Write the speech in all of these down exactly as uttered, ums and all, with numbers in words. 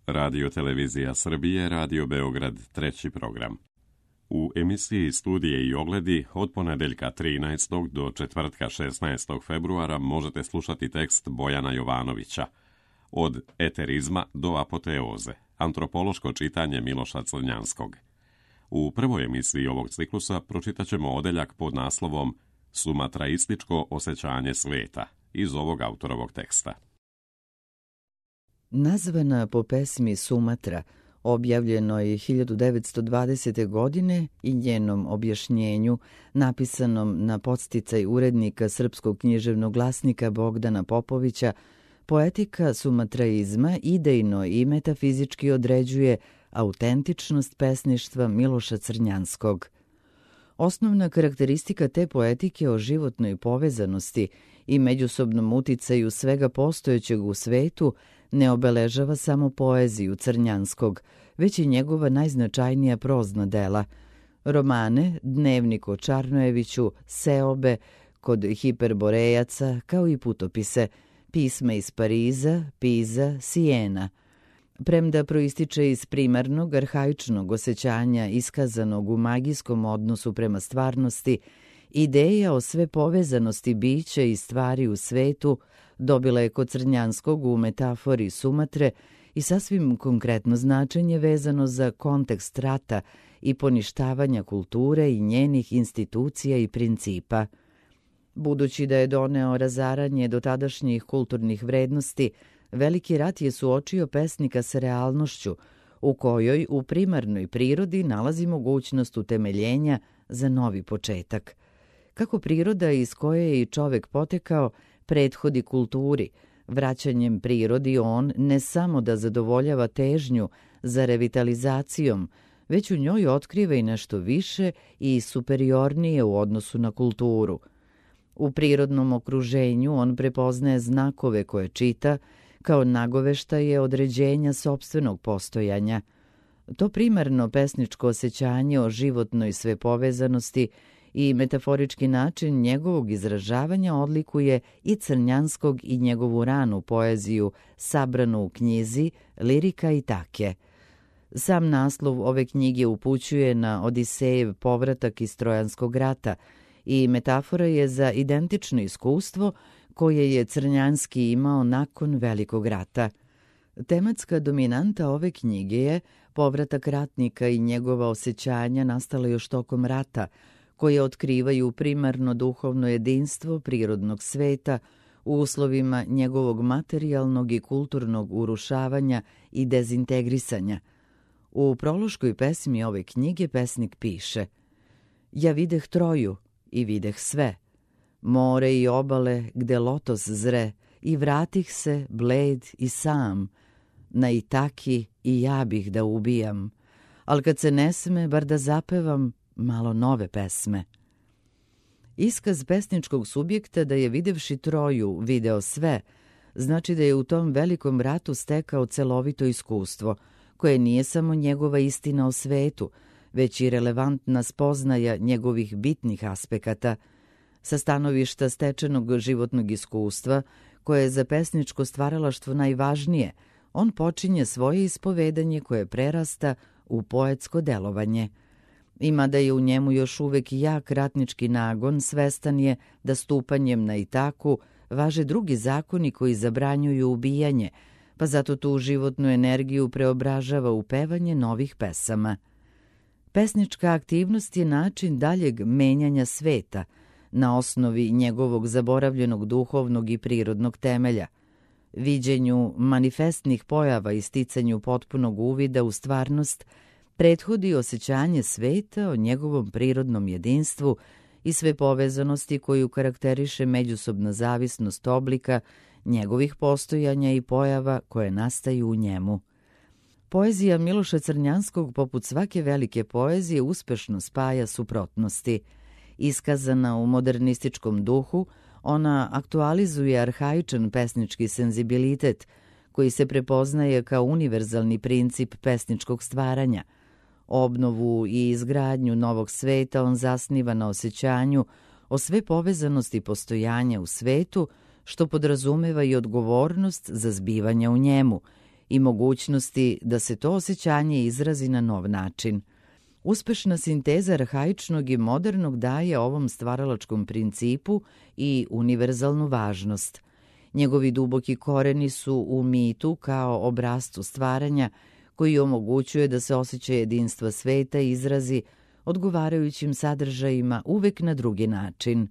Radio Televizija Srbije, Radio Beograd, treći program. U emisiji Studije i ogledi od ponedeljka trinaestog do četvrtka šesnaestog februara možete slušati tekst Bojana Jovanovića Od eterizma do apoteoze, antropološko čitanje Miloša Crnjanskog. U prvoj emisiji ovog ciklusa pročitat ćemo odeljak pod naslovom Sumatraističko osjećanje sveta iz ovog autorovog teksta. Nazvana po pesmi Sumatra, objavljenoj hiljadu devetsto dvadesete. godine i njenom objašnjenju, napisanom na podsticaj urednika Srpskog književnog glasnika Bogdana Popovića, poetika sumatraizma idejno i metafizički određuje autentičnost pesništva Miloša Crnjanskog. Osnovna karakteristika te poetike o životnoj povezanosti i međusobnom uticaju svega postojećeg u svetu ne obeležava samo poeziju Crnjanskog, već i njegova najznačajnija prozna dela. Romane, Dnevnik o Čarnojeviću, Seobe, Kod hiperborejaca, kao i putopise, Pisma iz Pariza, Piza, Sijena. Premda proističe iz primarnog, arhaičnog osjećanja iskazanog u magijskom odnosu prema stvarnosti, ideja o sve povezanosti bića i stvari u svetu dobila je kod Crnjanskog u metafori Sumatre i sasvim konkretno značenje vezano za kontekst rata i poništavanja kulture i njenih institucija i principa. Budući da je doneo razaranje dotadašnjih kulturnih vrednosti, Veliki rat je suočio pesnika sa realnošću, u kojoj u primarnoj prirodi nalazi mogućnost utemeljenja za novi početak. Kako priroda iz koje je i čovek potekao prethodi kulturi, vraćanjem prirodi on ne samo da zadovoljava težnju za revitalizacijom, već u njoj otkriva i nešto više i superiornije u odnosu na kulturu. U prirodnom okruženju on prepoznaje znakove koje čita, kao nagoveštaje određenja sopstvenog postojanja. To primarno pesničko osjećanje o životnoj svepovezanosti i metaforički način njegovog izražavanja odlikuje i Crnjanskog i njegovu ranu poeziju, sabranu u knjizi Lirika i Take. Sam naslov ove knjige upućuje na Odisejev povratak iz Trojanskog rata i metafora je za identično iskustvo koje je Crnjanski imao nakon Velikog rata. Tematska dominanta ove knjige je povratak ratnika i njegova osjećanja nastala još tokom rata, koje otkrivaju primarno duhovno jedinstvo prirodnog sveta u uslovima njegovog materijalnog i kulturnog urušavanja i dezintegrisanja. U prološkoj pesmi ove knjige pesnik piše: Ja videh Troju i videh sve, more i obale gde lotos zre, i vratih se bled i sam, na Itaki i ja bih da ubijam, al kad se ne sme bar da zapevam malo nove pesme. Iskaz pesničkog subjekta da je videvši Troju video sve, znači da je u tom velikom ratu stekao celovito iskustvo, koje nije samo njegova istina o svetu, već i relevantna spoznaja njegovih bitnih aspekata. Sa stanovišta stečenog životnog iskustva, koje je za pesničko stvaralaštvo najvažnije, on počinje svoje ispovedanje koje prerasta u poetsko delovanje. Ima da je u njemu još uvek jak ratnički nagon, svestan je da stupanjem na Itaku važe drugi zakoni koji zabranjuju ubijanje, pa zato tu životnu energiju preobražava u pevanje novih pesama. Pesnička aktivnost je način daljeg menjanja sveta, na osnovi njegovog zaboravljenog duhovnog i prirodnog temelja, viđenju manifestnih pojava i sticanju potpunog uvida u stvarnost, prethodi osjećanje sveta o njegovom prirodnom jedinstvu i sve povezanosti koju karakteriše međusobna zavisnost oblika, njegovih postojanja i pojava koje nastaju u njemu. Poezija Miloša Crnjanskog, poput svake velike poezije, uspešno spaja suprotnosti. Iskazana u modernističkom duhu, ona aktualizuje arhaičan pesnički senzibilitet, koji se prepoznaje kao univerzalni princip pesničkog stvaranja. Obnovu i izgradnju novog sveta on zasniva na osjećanju o sve povezanosti postojanja u svetu, što podrazumeva i odgovornost za zbivanja u njemu, i mogućnosti da se to osjećanje izrazi na nov način. Uspešna sinteza arhaičnog i modernog daje ovom stvaralačkom principu i univerzalnu važnost. Njegovi duboki koreni su u mitu kao obrascu stvaranja koji omogućuje da se osjećaj jedinstva sveta izrazi odgovarajućim sadržajima uvek na drugi način.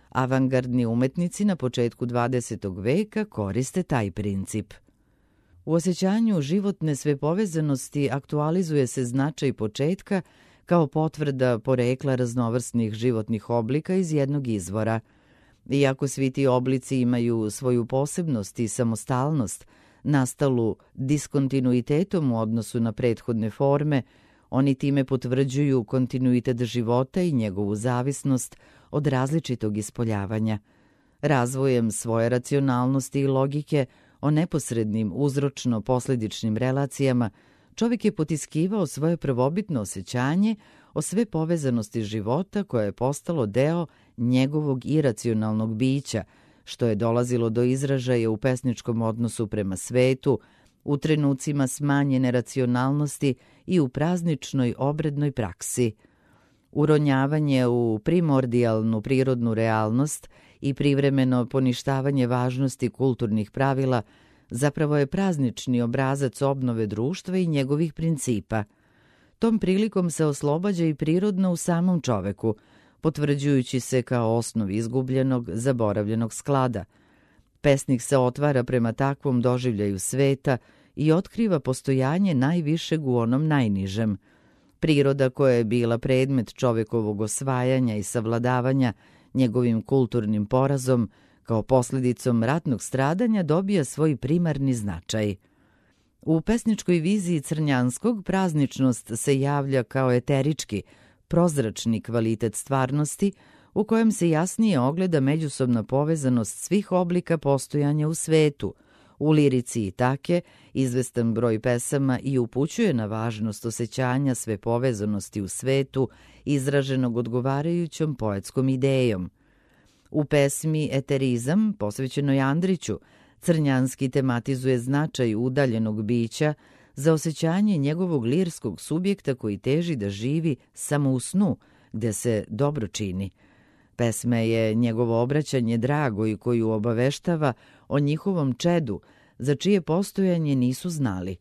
Avangardni umetnici na početku dvadesetog veka koriste taj princip. U osjećanju životne svepovezanosti aktualizuje se značaj početka kao potvrda porekla raznovrsnih životnih oblika iz jednog izvora. Iako svi ti oblici imaju svoju posebnost i samostalnost, nastalu diskontinuitetom u odnosu na prethodne forme, oni time potvrđuju kontinuitet života i njegovu zavisnost od različitog ispoljavanja. Razvojem svoje racionalnosti i logike o neposrednim uzročno-posledičnim relacijama, čovjek je potiskivao svoje prvobitno osjećanje o sve povezanosti života koje je postalo deo njegovog iracionalnog bića, što je dolazilo do izražaja u pesničkom odnosu prema svetu, u trenucima smanjene racionalnosti i u prazničnoj obrednoj praksi. Uronjavanje u primordijalnu prirodnu realnost i privremeno poništavanje važnosti kulturnih pravila zapravo je praznični obrazac obnove društva i njegovih principa. Tom prilikom se oslobađa i prirodno u samom čoveku, potvrđujući se kao osnov izgubljenog, zaboravljenog sklada. Pesnik se otvara prema takvom doživljaju sveta i otkriva postojanje najvišeg u onom najnižem. Priroda koja je bila predmet čovekovog osvajanja i savladavanja njegovim kulturnim porazom, kao posljedicom ratnog stradanja dobija svoj primarni značaj. U pesničkoj viziji Crnjanskog prazničnost se javlja kao eterički, prozračni kvalitet stvarnosti u kojem se jasnije ogleda međusobna povezanost svih oblika postojanja u svetu. U lirici i take izvestan broj pesama i upućuje na važnost osjećanja sve povezanosti u svetu izraženog odgovarajućom poetskom idejom. U pesmi Eterizam, posvećenoj Andriću, Crnjanski tematizuje značaj udaljenog bića za osjećanje njegovog lirskog subjekta koji teži da živi samo u snu, gde se dobro čini. Pesme je njegovo obraćanje Dragoj koju obaveštava o njihovom čedu, za čije postojanje nisu znali.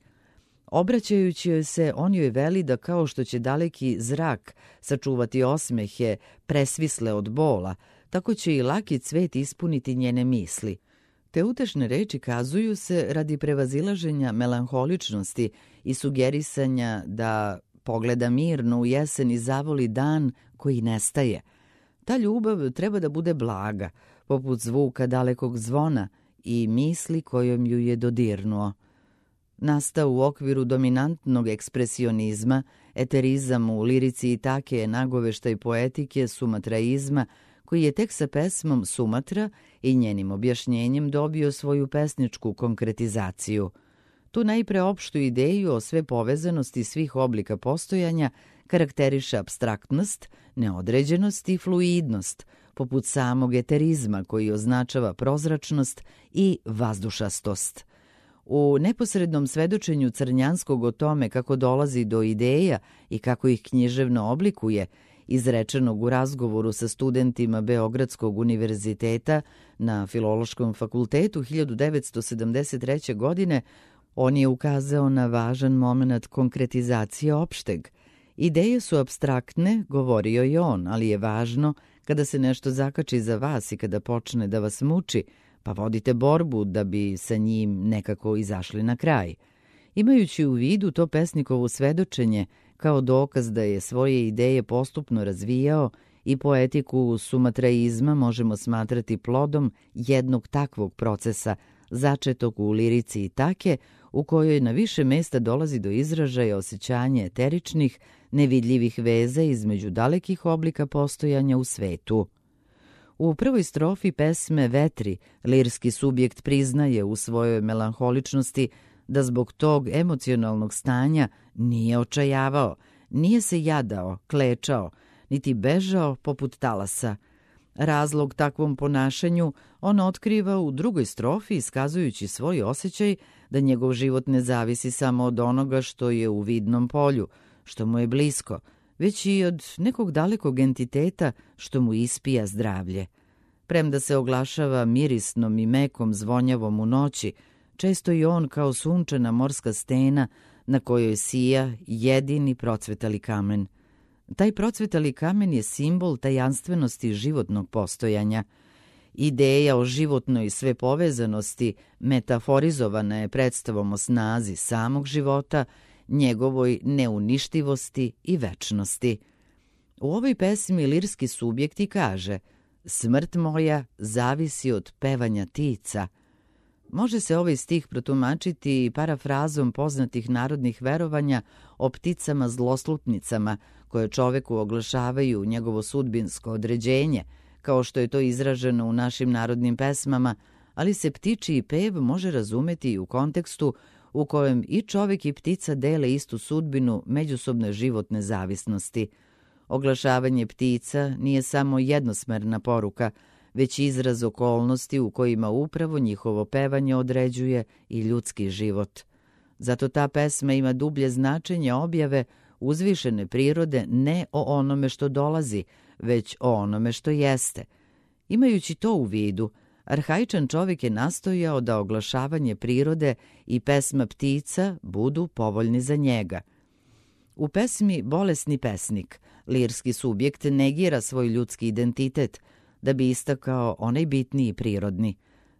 Obraćajući joj se, on joj veli da kao što će daleki zrak sačuvati osmehe presvisle od bola, tako će i laki cvet ispuniti njene misli. Te utešne reči kazuju se radi prevazilaženja melanholičnosti i sugerisanja da pogleda mirno u jesen i zavoli dan koji nestaje. Ta ljubav treba da bude blaga, poput zvuka dalekog zvona i misli kojom ju je dodirnuo. Nastao u okviru dominantnog ekspresionizma, eterizam u lirici i take je nagoveštaj poetike sumatraizma, koji je tek sa pesmom Sumatra i njenim objašnjenjem dobio svoju pesničku konkretizaciju. Tu najpre opštu ideju o sve povezanosti svih oblika postojanja karakteriše apstraktnost, neodređenost i fluidnost, poput samog eterizma koji označava prozračnost i vazdušastost. U neposrednom svedočenju Crnjanskog o tome kako dolazi do ideja i kako ih književno oblikuje, izrečenog u razgovoru sa studentima Beogradskog univerziteta na Filološkom fakultetu hiljadu devetsto sedamdeset treće. godine, on je ukazao na važan moment konkretizacije opšteg. Ideje su apstraktne, govorio je on, ali je važno kada se nešto zakači za vas i kada počne da vas muči, pa vodite borbu da bi sa njim nekako izašli na kraj. Imajući u vidu to pesnikovo svedočenje kao dokaz da je svoje ideje postupno razvijao i poetiku sumatraizma možemo smatrati plodom jednog takvog procesa, začetog u lirici i take, u kojoj na više mesta dolazi do izražaja osjećanje eteričnih, nevidljivih veza između dalekih oblika postojanja u svetu. U prvoj strofi pesme Vetri lirski subjekt priznaje u svojoj melanholičnosti da zbog tog emocionalnog stanja nije očajavao, nije se jadao, klečao, niti bežao poput talasa. Razlog takvom ponašanju on otkriva u drugoj strofi iskazujući svoj osjećaj da njegov život ne zavisi samo od onoga što je u vidnom polju, što mu je blisko, već i od nekog dalekog entiteta što mu ispija zdravlje. Premda se oglašava mirisnom i mekom zvonjavom u noći, često i on kao sunčana morska stena na kojoj sija jedini procvetali kamen. Taj procvetali kamen je simbol tajanstvenosti životnog postojanja. Ideja o životnoj svepovezanosti metaforizovana je predstavom o snazi samog života, njegovoj neuništivosti i večnosti. U ovoj pesmi lirski subjekti kaže: smrt moja zavisi od pevanja ptica. Može se ovaj stih protumačiti parafrazom poznatih narodnih verovanja o pticama zloslutnicama koje čoveku oglašavaju njegovo sudbinsko određenje, kao što je to izraženo u našim narodnim pesmama, ali se ptičiji pev može razumeti i u kontekstu u kojem i čovek i ptica dele istu sudbinu međusobne životne zavisnosti. Oglašavanje ptica nije samo jednosmerna poruka, već izraz okolnosti u kojima upravo njihovo pevanje određuje i ljudski život. Zato ta pesma ima dublje značenje objave uzvišene prirode ne o onome što dolazi, već o onome što jeste. Imajući to u vidu, arhaičan čovjek je nastojao da oglašavanje prirode i pesma ptica budu povoljni za njega. U pesmi Bolesni pesnik lirski subjekt negira svoj ljudski identitet da bi istakao onaj bitniji prirodni.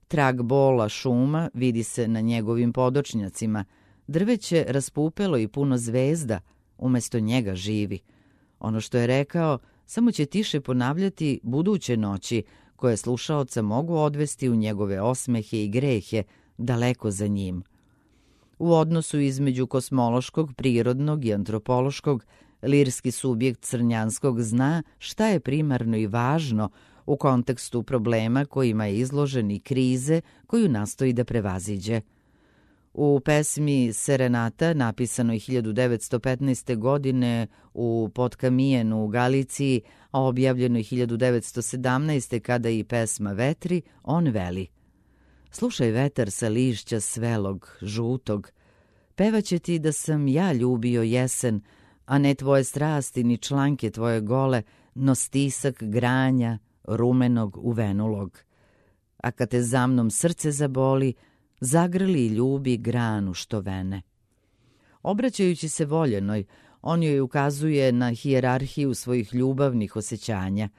Trag bola šuma vidi se na njegovim podočnjacima, drveće raspupelo i puno zvezda, umesto njega živi. Ono što je rekao samo će tiše ponavljati buduće noći, koje slušaoca mogu odvesti u njegove osmehe i grehe daleko za njim. U odnosu između kosmološkog, prirodnog i antropološkog, lirski subjekt Crnjanskog zna šta je primarno i važno u kontekstu problema kojima je izložen i krize koju nastoji da prevaziđe. U pesmi Serenata, napisanoj hiljadu devetsto petnaeste. godine u Podkamijenu u Galiciji, a objavljenoj hiljadu devetsto sedamnaeste. kada i pesma Vetri, on veli: slušaj vetar sa lišća svelog, žutog, pevaće ti da sam ja ljubio jesen, a ne tvoje strasti ni članke tvoje gole, no stisak granja rumenog uvenulog. A kad te za mnom srce zaboli, zagrli i ljubi granu što vene. Obraćajući se voljenoj, on joj ukazuje na hijerarhiju svojih ljubavnih osjećanja.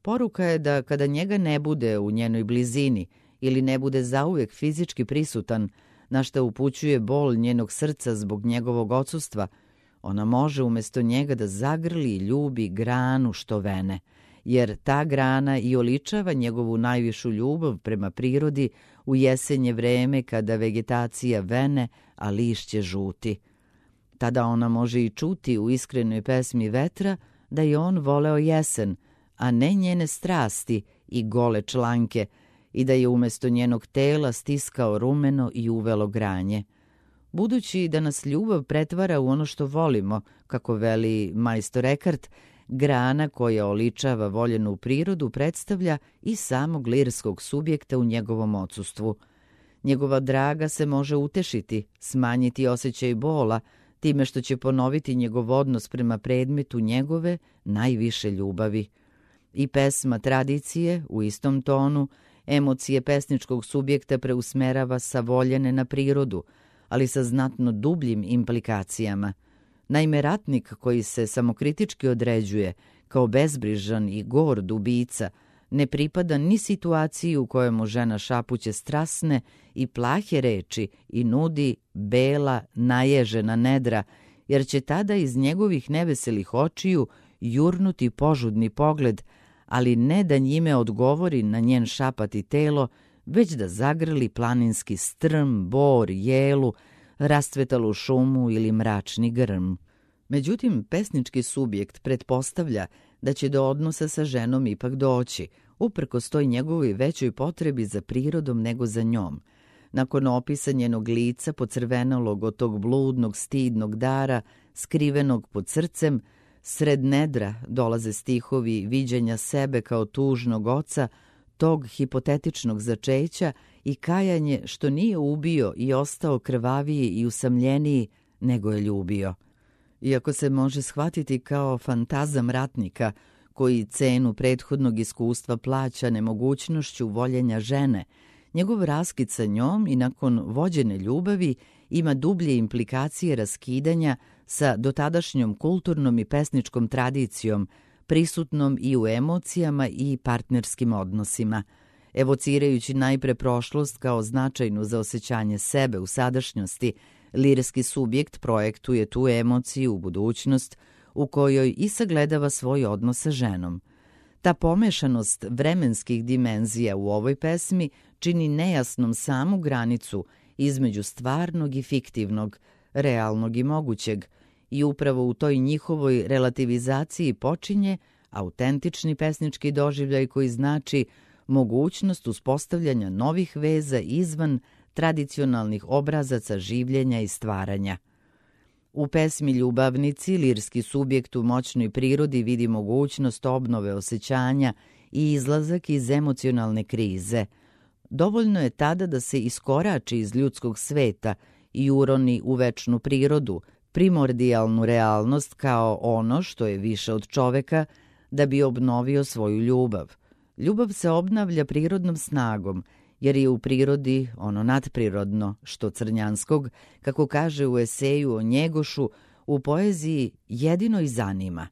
Poruka je da kada njega ne bude u njenoj blizini ili ne bude zauvek fizički prisutan, na što upućuje bol njenog srca zbog njegovog odsustva, ona može umjesto njega da zagrli i ljubi granu što vene, jer ta grana i oličava njegovu najvišu ljubav prema prirodi u jesenje vreme kada vegetacija vene, a lišće žuti. Tada ona može i čuti u iskrenoj pesmi vetra da je on voleo jesen, a ne njene strasti i gole članke, i da je umjesto njenog tela stiskao rumeno i uvelo granje. Budući da nas ljubav pretvara u ono što volimo, kako veli majstor Ekart, grana koja oličava voljenu prirodu predstavlja i samog lirskog subjekta u njegovom odsustvu. Njegova draga se može utešiti, smanjiti osjećaj bola, time što će ponoviti njegov odnos prema predmetu njegove najviše ljubavi. I pesma tradicije u istom tonu emocije pesničkog subjekta preusmerava sa voljene na prirodu, ali sa znatno dubljim implikacijama. Naime, ratnik koji se samokritički određuje kao bezbrižan i gord ubica ne pripada ni situaciji u kojoj mu žena šapuće strasne i plahe reči i nudi bela, naježena nedra, jer će tada iz njegovih neveselih očiju jurnuti požudni pogled, ali ne da njime odgovori na njen šapati telo, već da zagrli planinski strm, bor, jelu, rastvetalu šumu ili mračni grm. Međutim, pesnički subjekt pretpostavlja da će do odnosa sa ženom ipak doći, uprkos toj njegovoj većoj potrebi za prirodom nego za njom. Nakon opisa njenog lica pocrvenalog od tog bludnog, stidnog dara, skrivenog pod srcem, sred nedra dolaze stihovi viđenja sebe kao tužnog oca, tog hipotetičnog začeća i kajanje što nije ubio i ostao krvaviji i usamljeniji nego je ljubio. Iako se može shvatiti kao fantazam ratnika koji cenu prethodnog iskustva plaća nemogućnošću voljenja žene, njegov raskid sa njom i nakon vođene ljubavi ima dublje implikacije raskidanja sa dotadašnjom kulturnom i pesničkom tradicijom, prisutnom i u emocijama i partnerskim odnosima, evocirajući najpre prošlost kao značajnu za osjećanje sebe u sadašnjosti. Lirski subjekt projektuje tu emociju u budućnost u kojoj i sagledava svoj odnos sa ženom. Ta pomešanost vremenskih dimenzija u ovoj pesmi čini nejasnom samu granicu između stvarnog i fiktivnog, realnog i mogućeg, i upravo u toj njihovoj relativizaciji počinje autentični pesnički doživljaj koji znači mogućnost uspostavljanja novih veza izvan tradicionalnih obrazaca življenja i stvaranja. U pesmi Ljubavnici lirski subjekt u moćnoj prirodi vidi mogućnost obnove osjećanja i izlazak iz emocionalne krize. Dovoljno je tada da se iskorači iz ljudskog sveta i uroni u večnu prirodu, primordijalnu realnost kao ono što je više od čoveka, da bi obnovio svoju ljubav. Ljubav se obnavlja prirodnom snagom, jer je u prirodi ono nadprirodno, što Crnjanskog, kako kaže u eseju o Njegošu, u poeziji jedino i zanima.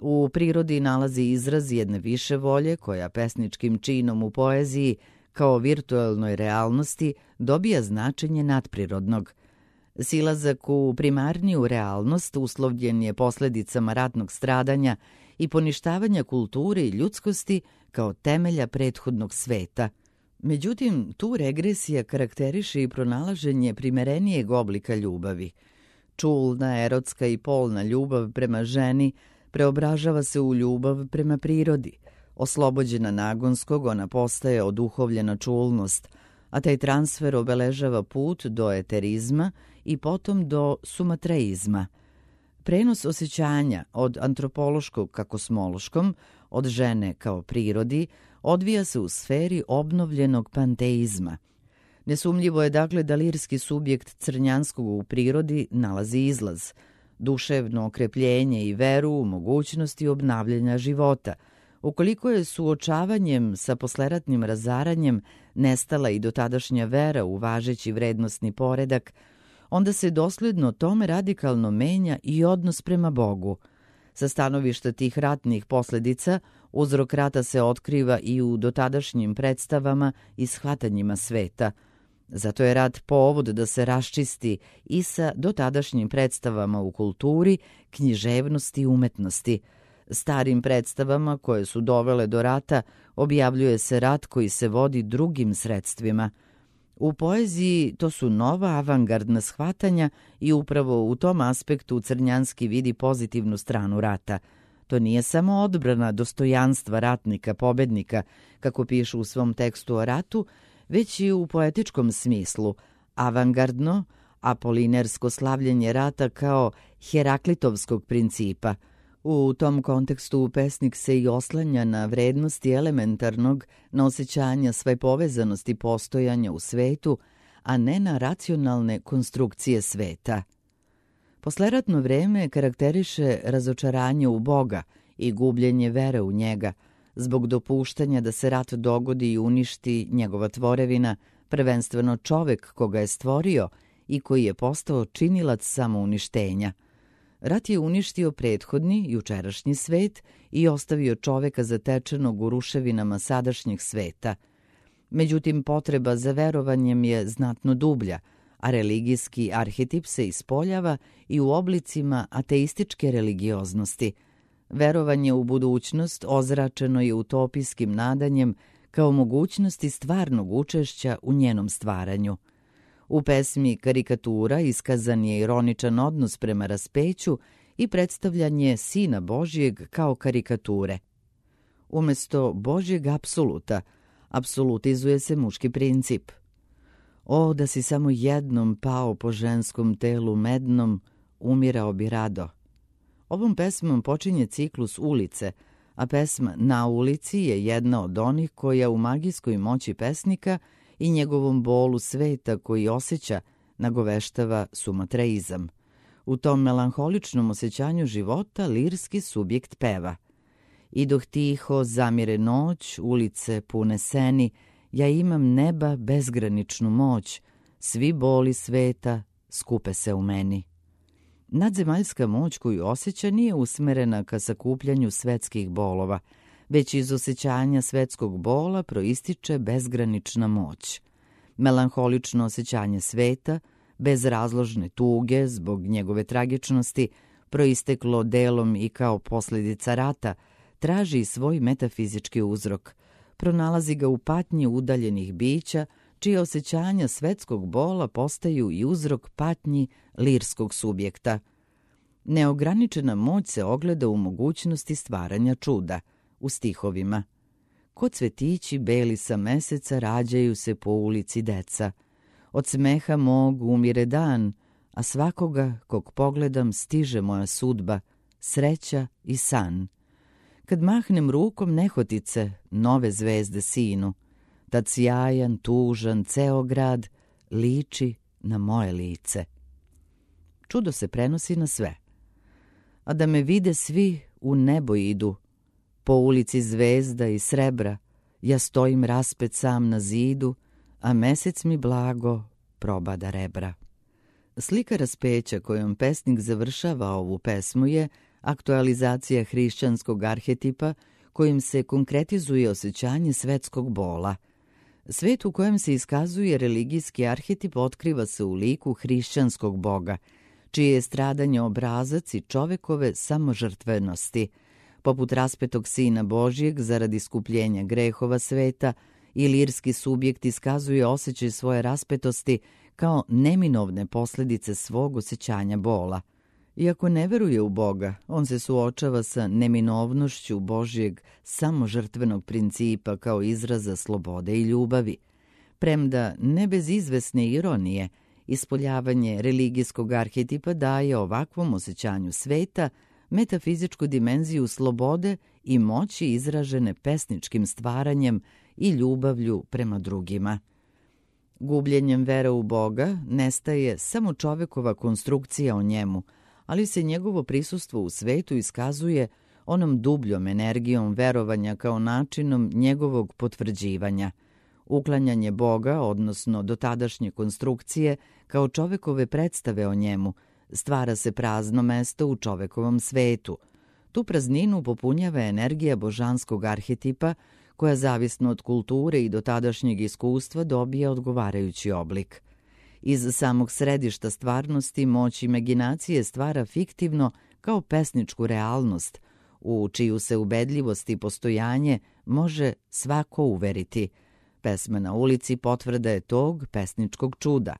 U prirodi nalazi izraz jedne više volje koja pesničkim činom u poeziji, kao virtualnoj realnosti, dobija značenje nadprirodnog. Silazak u primarniju realnost uslovljen je posledicama ratnog stradanja i poništavanja kulture i ljudskosti kao temelja prethodnog sveta. Međutim, tu regresija karakteriše i pronalaženje primerenijeg oblika ljubavi. Čulna, erotska i polna ljubav prema ženi preobražava se u ljubav prema prirodi. Oslobođena nagonskog, ona postaje oduhovljena čulnost, a taj transfer obeležava put do eterizma i potom do sumatreizma. Prenos osjećanja od antropološkog ka kosmološkom, od žene kao prirodi, odvija se u sferi obnovljenog panteizma. Nesumljivo je dakle da lirski subjekt Crnjanskog u prirodi nalazi izlaz, duševno okrepljenje i veru u mogućnosti obnavljanja života. Ukoliko je suočavanjem sa posleratnim razaranjem nestala i dotadašnja vera u važeći vrednostni poredak, onda se dosledno tome radikalno menja i odnos prema Bogu. Sa stanovišta tih ratnih posledica, uzrok rata se otkriva i u dotadašnjim predstavama i shvatanjima sveta. Zato je rat povod da se raščisti i sa dotadašnjim predstavama u kulturi, književnosti i umetnosti. Starim predstavama koje su dovele do rata objavljuje se rat koji se vodi drugim sredstvima. U poeziji to su nova avangardna shvatanja i upravo u tom aspektu Crnjanski vidi pozitivnu stranu rata. To nije samo odbrana dostojanstva ratnika, pobednika, kako piše u svom tekstu o ratu, već i u poetičkom smislu, avangardno, apolinersko slavljenje rata kao Heraklitovskog principa. U tom kontekstu pesnik se i oslanja na vrednosti elementarnog, na osjećanja sve povezanosti postojanja u svetu, a ne na racionalne konstrukcije sveta. Posleratno vreme karakteriše razočaranje u Boga i gubljenje vere u njega, zbog dopuštanja da se rat dogodi i uništi njegova tvorevina, prvenstveno čovek koga je stvorio i koji je postao činilac samouništenja. Rat je uništio prethodni, jučerašnji svet i ostavio čoveka zatečenog u ruševinama sadašnjeg sveta. Međutim, potreba za verovanjem je znatno dublja, a religijski arhetip se ispoljava i u oblicima ateističke religioznosti. Verovanje u budućnost ozračeno je utopijskim nadanjem kao mogućnosti stvarnog učešća u njenom stvaranju. U pesmi Karikatura iskazan je ironičan odnos prema raspeću i predstavljanje Sina Božijeg kao karikature. Umesto Božjeg apsoluta, apsolutizuje se muški princip. O, da si samo jednom pao po ženskom telu mednom, umirao bi rado. Ovom pesmom počinje ciklus Ulice, a pesma Na ulici je jedna od onih koja u magijskoj moći pesnika i njegovom bolu sveta koji osjeća nagoveštava sumatreizam. U tom melanholičnom osjećanju života lirski subjekt peva: Idoh tiho, zamire noć, ulice pune seni, ja imam neba bezgraničnu moć, svi boli sveta skupe se u meni. Nadzemaljska moć koju osjeća nije usmerena ka sakupljanju svetskih bolova, već iz osjećanja svetskog bola proističe bezgranična moć. Melanholično osjećanje sveta, bez razložne tuge zbog njegove tragičnosti, proisteklo delom i kao posljedica rata, traži svoj metafizički uzrok. Pronalazi ga u patnji udaljenih bića, čije osjećanja svetskog bola postaju i uzrok patnji lirskog subjekta. Neograničena moć se ogleda u mogućnosti stvaranja čuda, u stihovima. Ko cvetići beli sa meseca rađaju se po ulici deca. Od smeha mog umire dan, a svakoga kog pogledam stiže moja sudba, sreća i san. Kad mahnem rukom nehotice, nove zvezde sinu, tad sjajan, tužan, ceo grad liči na moje lice. Čudo se prenosi na sve. A da me vide svi, u nebo idu, po ulici zvezda i srebra, ja stojim raspet sam na zidu, a mesec mi blago probada rebra. Slika raspeća kojom pesnik završava ovu pesmu je aktualizacija hrišćanskog arhetipa kojim se konkretizuje osjećanje svetskog bola. Svet u kojem se iskazuje religijski arhetip otkriva se u liku hrišćanskog boga, čije je stradanje obrazac i čovekove samožrtvenosti. Poput raspetog Sina Božijeg zaradi iskupljenja grehova sveta, i lirski subjekt iskazuje osjećaj svoje raspetosti kao neminovne posljedice svog osjećanja bola. Iako ne veruje u Boga, on se suočava sa neminovnošću Božijeg samožrtvenog principa kao izraza slobode i ljubavi. Premda ne bez izvesne ironije, ispoljavanje religijskog arhetipa daje ovakvom osjećanju sveta metafizičku dimenziju slobode i moći izražene pesničkim stvaranjem i ljubavlju prema drugima. Gubljenjem vere u Boga nestaje samo čovekova konstrukcija o njemu, ali se njegovo prisustvo u svetu iskazuje onom dubljom energijom verovanja kao načinom njegovog potvrđivanja. Uklanjanje Boga, odnosno dotadašnje konstrukcije, kao čovekove predstave o njemu, stvara se prazno mesto u čovekovom svetu. Tu prazninu popunjava energija božanskog arhetipa, koja zavisno od kulture i dotadašnjeg iskustva dobija odgovarajući oblik. Iz samog središta stvarnosti moć imaginacije stvara fiktivno kao pesničku realnost, u čiju se ubedljivost i postojanje može svako uveriti. Pesma Na ulici potvrda je tog pesničkog čuda.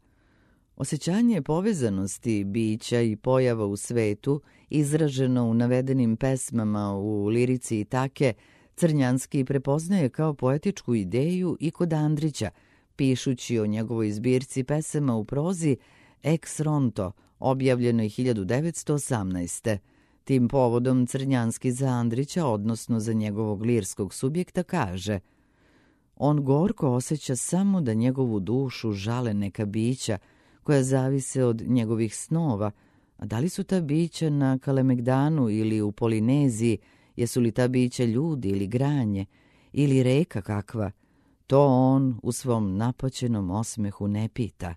Osjećanje povezanosti bića i pojava u svetu, izraženo u navedenim pesmama u lirici Itake, Crnjanski prepoznaje kao poetičku ideju i kod Andrića, pišući o njegovoj zbirci pesama u prozi Ex Ronto, objavljenoj hiljadu devetsto osamnaeste. Tim povodom Crnjanski za Andrića, odnosno za njegovog lirskog subjekta, kaže: On gorko osjeća samo da njegovu dušu žale neka bića koja zavise od njegovih snova, a da li su ta bića na Kalemegdanu ili u Polineziji, jesu li ta bića ljudi ili granje, ili reka kakva, to on u svom napaćenom osmehu ne pita.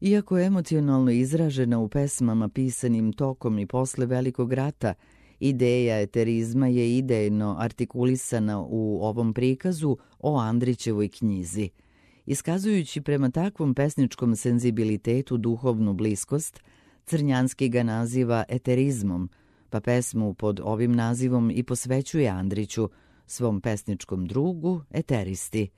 Iako emocionalno izražena u pesmama pisanim tokom i posle Velikog rata, ideja eterizma je idejno artikulisana u ovom prikazu o Andrićevoj knjizi. Iskazujući prema takvom pesničkom senzibilitetu duhovnu bliskost, Crnjanski ga naziva eterizmom, pa pesmu pod ovim nazivom i posvećuje Andriću, svom pesničkom drugu, eteristi.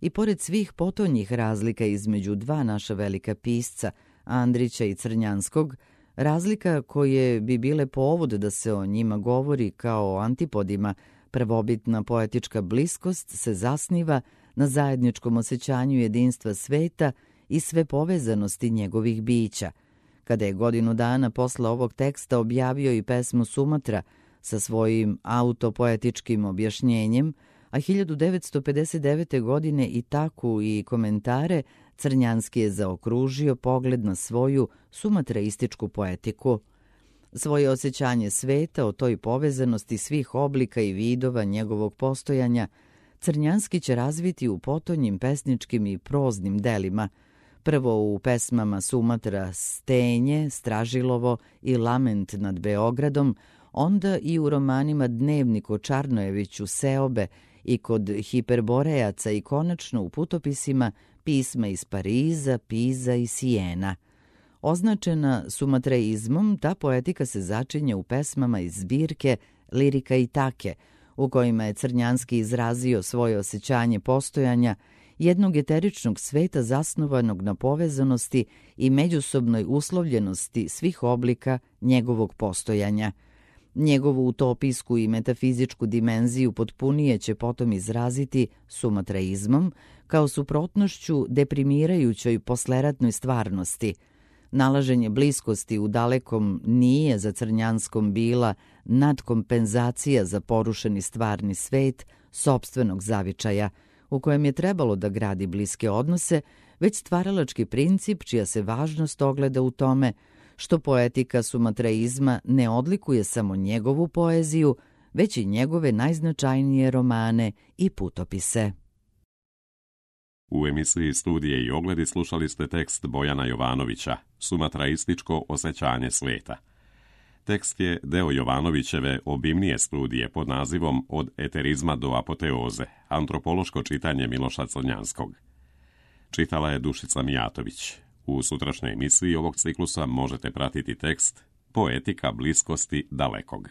I pored svih potonjih razlika između dva naša velika pisca, Andrića i Crnjanskog, razlika koje bi bile povod da se o njima govori kao o antipodima, prvobitna poetička bliskost se zasniva na zajedničkom osjećanju jedinstva sveta i sve povezanosti njegovih bića. Kada je godinu dana posle ovog teksta objavio i pesmu Sumatra, sa svojim autopoetičkim objašnjenjem, a hiljadu devetsto pedeset devete. godine i taku i komentare Crnjanski je zaokružio pogled na svoju sumatraističku poetiku. Svoje osjećanje sveta o toj povezanosti svih oblika i vidova njegovog postojanja Crnjanski će razviti u potonjim pesničkim i proznim delima, prvo u pesmama Sumatra Stenje, Stražilovo i Lament nad Beogradom, onda i u romanima Dnevnik o Čarnojeviću, Seobe i kod Hiperborejaca i konačno u putopisima Pisma iz Pariza, Piza i Sijena. Označena sumatraizmom, ta poetika se začinje u pesmama iz zbirke Lirika i take, u kojima je Crnjanski izrazio svoje osjećanje postojanja jednog eteričnog sveta zasnovanog na povezanosti i međusobnoj uslovljenosti svih oblika njegovog postojanja. Njegovu utopijsku i metafizičku dimenziju potpunije će potom izraziti sumatraizmom kao suprotnošću deprimirajućoj posleratnoj stvarnosti. Nalaženje bliskosti u dalekom nije za Crnjanskom bila nadkompenzacija za porušeni stvarni svet sopstvenog zavičaja, u kojem je trebalo da gradi bliske odnose, već stvaralački princip čija se važnost ogleda u tome što poetika sumatraizma ne odlikuje samo njegovu poeziju, već i njegove najznačajnije romane i putopise. U emisiji Studije i ogledi slušali ste tekst Bojana Jovanovića, Sumatraističko osjećanje sveta. Tekst je deo Jovanovićeve obimnije studije pod nazivom Od eterizma do apoteoze, antropološko čitanje Miloša Crnjanskog. Čitala je Dušica Mijatović. U sutrašnjoj emisiji ovog ciklusa možete pratiti tekst Poetika bliskosti dalekog.